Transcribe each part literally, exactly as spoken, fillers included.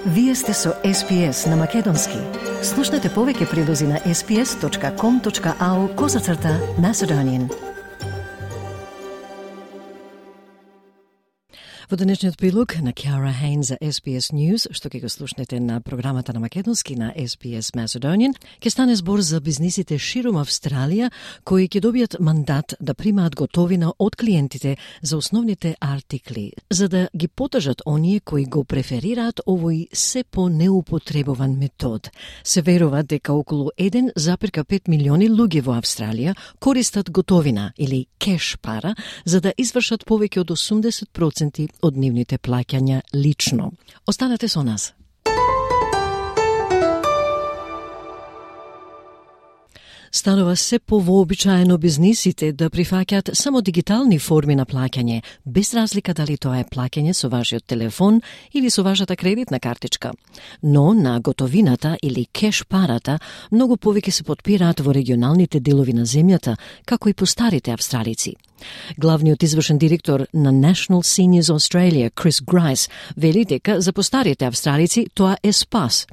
Вие сте со Ес Би Ес на Македонски. Слушнете повеќе прилози на ес би ес точка ком точка ау козацрта Macedonian. Во денешниот прилог на Кјара Хейн за Ес Би Ес News, што ќе го слушнете на програмата на Македонски на Ес Би Ес Macedonian, ќе стане збор за бизнисите широм Австралија кои ќе добијат мандат да примаат готовина од клиентите за основните артикли, за да ги потажат оние кои го преферираат овој се по-неупотребован метод. Се верува дека околу еден зарез пет милиони луѓе во Австралија користат готовина или кеш пара за да извршат повеќе од осумдесет проценти од нивните плаќања лично. Останете со нас. Станува се повообичаено бизнисите да прифаќаат само дигитални форми на плаќање, без разлика дали тоа е плаќање со вашиот телефон или со вашата кредитна картичка. Но на готовината или кеш парата многу повеќе се потпираат во регионалните делови на земјата, како и по старите австралици. Главниот извршен директор на National Seniors Australia, Крис Грайс, вели дека за постарите австралици тоа е спас.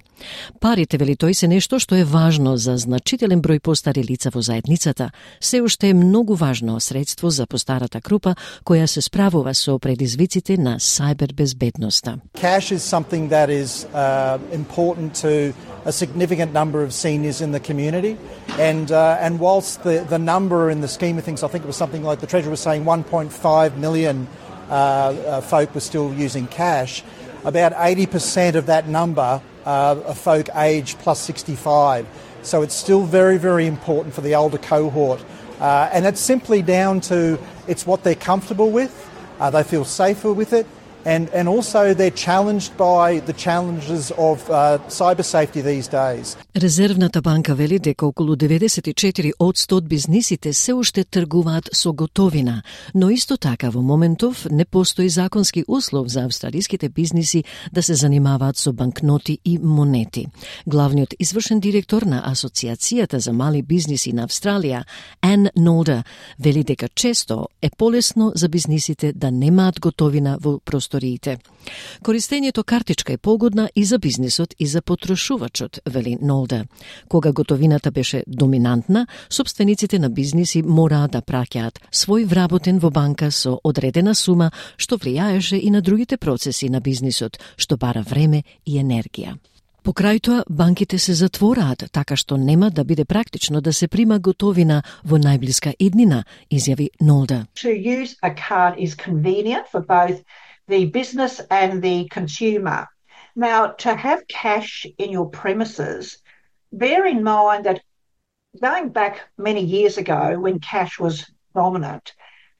Парите, вели тој, се нешто што е важно за значителен број постари лица во заедницата. Се уште е многу важно средство за постарата група која се справува со предизвиците на сајбербезбедноста. Cash is something that is uh, important to a significant number of seniors in the community, and uh, and whilst the the number in the scheme of things, I think it was something like the Treasurer was saying one point five million uh, uh, folk were still using cash. About eighty percent of that number uh, are folk age plus sixty-five. So it's still very, very important for the older cohort. Uh, and it's simply down to it's what they're comfortable with, uh, they feel safer with it, and, and also they're challenged by the challenges of uh, cyber safety these days. Резервната банка вели дека околу деветдесет и четири одсто од бизнисите се уште тргуваат со готовина, но исто така во моментов не постои законски услов за австралиските бизниси да се занимаваат со банкноти и монети. Главниот извршен директор на Асоциацијата за мали бизниси на Австралија, Ан Нолда, вели дека често е полесно за бизнисите да немаат готовина во просториите. Користењето картичка е погодна и за бизнисот и за потрошувачот, вели Нолда. Кога готовината беше доминантна, собствениците на бизниси мораа да праќаат свој вработен во банка со одредена сума, што влијаеше и на другите процеси на бизнисот, што бара време и енергија. Покрај тоа, банките се затвораат, така што нема да биде практично да се прима готовина во најблиска иднина, изјави Нолда. To use a card is convenient for both the business and the consumer. Now, to have cash in your premises, bear in mind that going back many years ago when cash was dominant,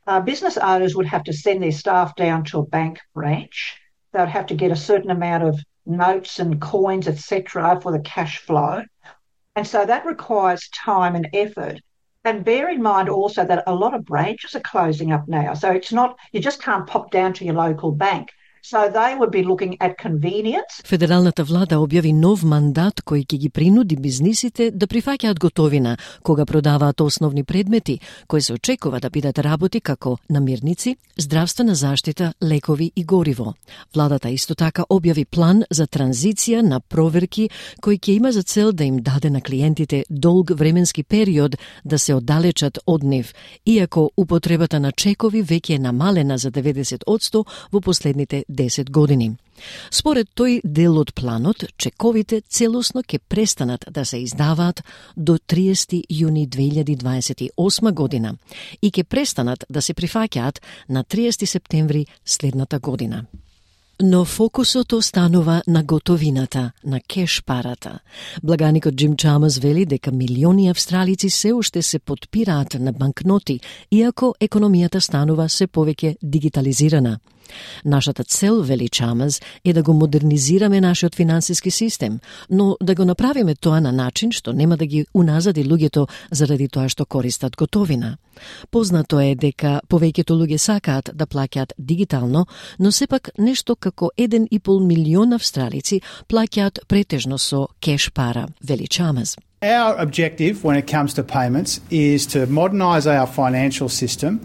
uh, business owners would have to send their staff down to a bank branch. They would have to get a certain amount of notes and coins, et cetera, for the cash flow. And so that requires time and effort. And bear in mind also that a lot of branches are closing up now. So it's not, you just can't pop down to your local bank. So they would be looking at convenience. Федералната влада објави нов мандат кој ќе ги принуди бизнисите да прифаќаат готовина кога продаваат основни предмети кои се очекува да бидат работи како намирници, здравствена заштита, лекови и гориво. Владата исто така објави план за транзиција на проверки кој ќе има за цел да им даде на клиентите долг временски период да се оддалечат од нив, иако употребата на чекови веќе е намалена за деветдесет одсто во последните десет години. Според тој дел од планот, чековите целосно ќе престанат да се издаваат до триесети јуни две илјади дваесет и осма година и ќе престанат да се прифаќаат на триесети септември следната година. Но фокусот останува на готовината, на кеш парата. Благаникот Джим Чамас вели дека милиони австралици се уште се потпираат на банкноти, иако економијата станува се повеќе дигитализирана. Нашата цел, вели Чамас, е да го модернизираме нашиот финансиски систем, но да го направиме тоа на начин што нема да ги уназади луѓето заради тоа што користат готовина. Познато е дека повеќето луѓе сакаат да плаќаат дигитално, но сепак нешто како еден и пол милион австралици плаќаат претежно со кеш пара, вели Чамас. Our objective when it comes to payments is to modernise our financial system,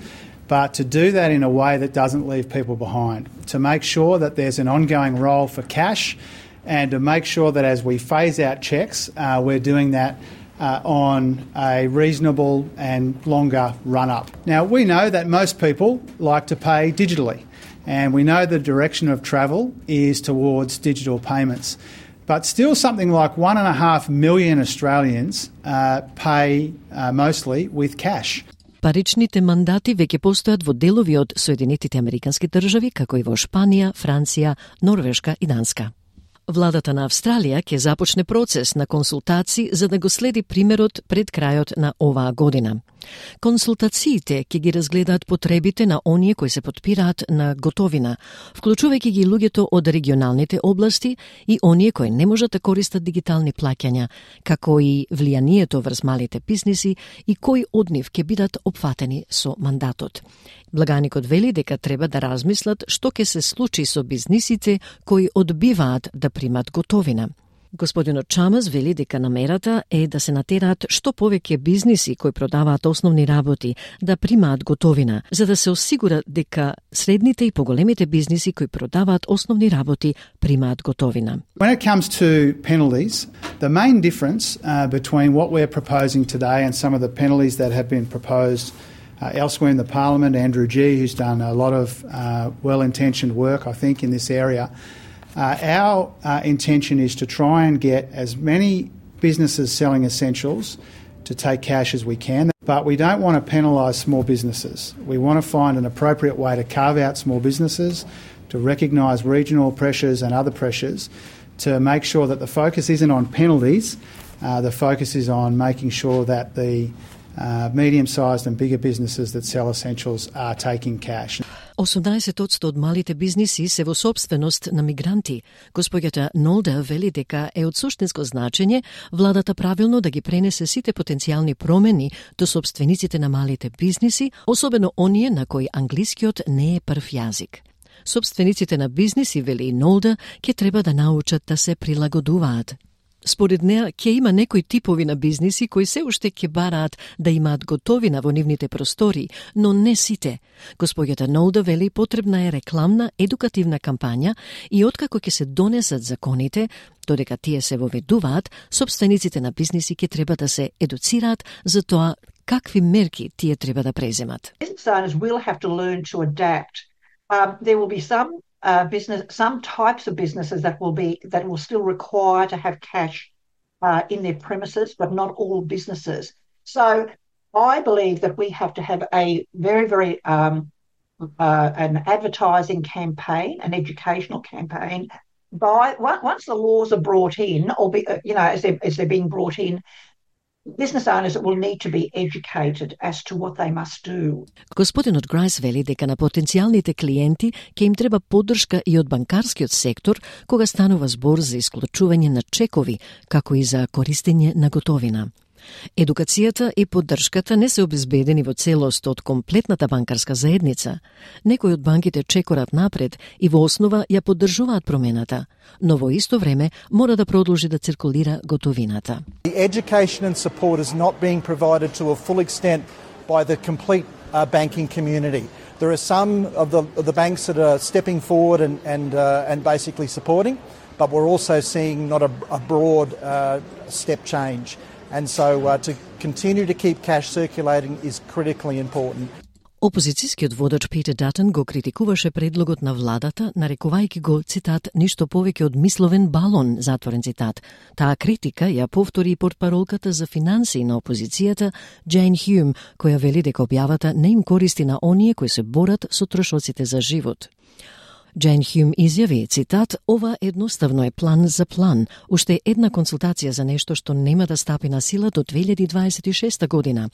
but to do that in a way that doesn't leave people behind, to make sure that there's an ongoing role for cash and to make sure that as we phase out checks, uh, we're doing that uh, on a reasonable and longer run-up. Now, we know that most people like to pay digitally, and we know the direction of travel is towards digital payments. But still something like one and a half million Australians uh, pay uh, mostly with cash. Паричните мандати веќе постојат во делови од Соединетите Американски држави, како и во Шпанија, Франција, Норвешка и Данска. Владата на Австралија ќе започне процес на консултации за да го следи примерот пред крајот на оваа година. Консултациите ќе ги разгледаат потребите на оние кои се потпираат на готовина, вклучувајќи ги луѓето од регионалните области и оние кои не можат да користат дигитални плаќања, како и влијанието врз малите бизниси и кои од нив ќе бидат опфатени со мандатот. Благаникот вели дека треба да размислат што ќе се случи со бизнисите кои одбиваат да примат готовина. Господинот Чамас вели дека намерата е да се натераат што повеќе бизниси кои продаваат основни работи да примаат готовина, за да се осигура дека средните и поголемите бизниси кои продаваат основни работи примаат готовина. When it comes to penalties, the main difference uh, between what we're proposing today and some of the penalties that have been proposed uh, elsewhere in the Parliament, Andrew Gee, who's done a lot of uh, well-intentioned work, I think, in this area. Uh, our uh, intention is to try and get as many businesses selling essentials to take cash as we can, but we don't want to penalise small businesses. We want to find an appropriate way to carve out small businesses, to recognise regional pressures and other pressures, to make sure that the focus isn't on penalties, uh, the focus is on making sure that the uh, medium-sized and bigger businesses that sell essentials are taking cash. осумнаесет одсто од малите бизниси се во собственост на мигранти. Господјата Нолда вели дека е од суштинско значење владата правилно да ги пренесе сите потенцијални промени до собствениците на малите бизниси, особено оние на кои англискиот не е прв јазик. Собствениците на бизниси, вели Нолда, ќе треба да научат да се прилагодуваат. Според неа, ќе има некои типови на бизниси кои се уште ќе бараат да имаат готовина во нивните простори, но не сите. Господјата Нолда вели потребна е рекламна, едукативна кампања и откако ќе се донесат законите, додека тие се воведуваат, собствениците на бизниси ќе треба да се едуцираат за тоа какви мерки тие треба да преземат. Business owners will have to learn to adapt. Um, there will be some Uh, business, some types of businesses that will be that will still require to have cash uh, in their premises, but not all businesses. So, I believe that we have to have a very, very um, uh, an advertising campaign, an educational campaign. By once the laws are brought in, or be, you know, as they're, as they're being brought in, business owners will need to be educated as to what they must do. Господинот Грајс вели дека на потенцијалните клиенти ќе им треба поддршка и од банкарскиот сектор кога станува збор за исклучување на чекови, како и за користење на готовина. Едукацијата и поддршката не се обезбедени во целост од комплетната банкарска заедница. Некои од банките чекорат напред и во основа ја поддржуваат промената, но во исто време мора да продолжи да циркулира готовината. The education and support is not being provided to a full extent by the complete uh, banking community. There are some of the, of the banks that are stepping forward and and uh, and basically supporting, but we're also seeing not a, a broad uh, step change. And so uh, to continue to keep cash circulating is critically important. Опозицијскиот водач Питер Датон го критикуваше предлогот на владата, нарекувајќи го, цитат, ништо повеќе од мисловен балон, затворен цитат. Таа критика ја повтори и портпаролката за финансии на опозицијата Джейн Хјум, која вели дека објавата не им користи на оние кои се борат со трошоците за живот. Джейн Хјум изјави, цитат, ова едноставно е план за план, уште една консултација за нешто што нема да стапи на сила до две илјади дваесет и шеста година.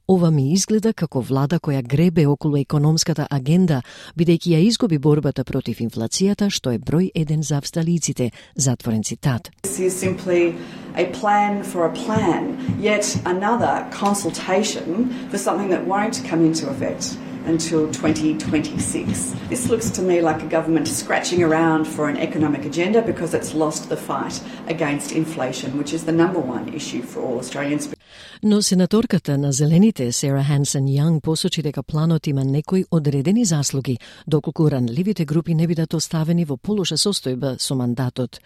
Ова ми изгледа како влада која гребе околу економската агенда, бидејќи ја изгуби борбата против инфлацијата, што е број еден за австралиците, затворен цитат. This is simply a plan for a plan, yet another consultation for something that won't come into effect until twenty twenty-six. This looks to me like a government scratching around for an economic agenda because it's lost the fight against inflation, which is the number one issue for all Australians. Но сенаторката на Зелените Сара Хансен Јанг посочи дека планот има некои одредени заслуги, доколку ранливите групи не бидат оставени во полоша состојба со мандатот.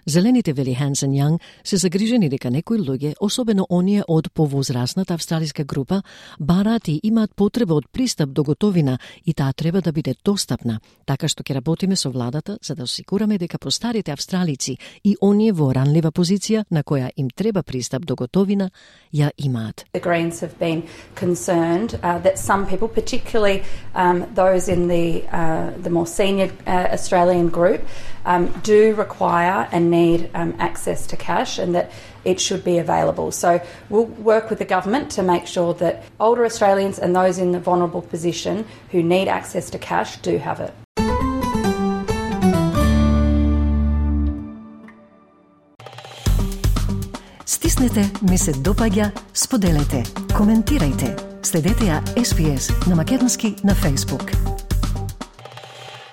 Зелените, вели Хансен Јанг, се загрижени дека некои луѓе, особено оние од повозрасната австралиска група, бараат и имаат потреба од пристап до готовина и таа треба да биде достапна, така што ќе работиме со владата за да осигураме дека постарите австралици и оние во ранлива позиција на која им треба пристап до готовина ја имаат. The Greens have been concerned uh, that some people, particularly um, those in the uh, the more senior uh, Australian group, um, do require and need um, access to cash, and that it should be available. So we'll work with the government to make sure that older Australians and those in the vulnerable position who need access to cash do have it. Стиснете, ми се допаѓа, споделете, коментирајте. Следете ја Ес Би Ес на македонски на Facebook.